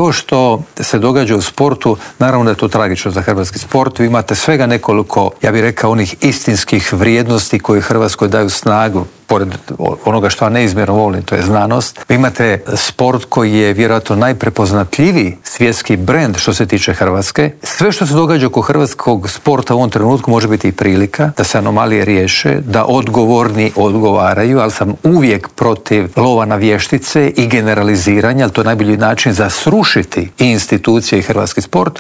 Ovo što se događa u sportu, naravno da je to tragično za hrvatski sport. Vi imate svega nekoliko, ja bih rekao, onih istinskih vrijednosti koje Hrvatskoj daju snagu, pored onoga što ja neizmjerno volim, to je znanost. Vi imate sport koji je vjerojatno najprepoznatljiviji svjetski brend što se tiče Hrvatske. Sve što se događa oko hrvatskog sporta u ovom trenutku može biti i prilika da se anomalije riješe, da odgovorni odgovaraju, ali sam uvijek protiv lova na vještice i generaliziranja, ali to je najbolji način za srušiti i institucije i hrvatski sport.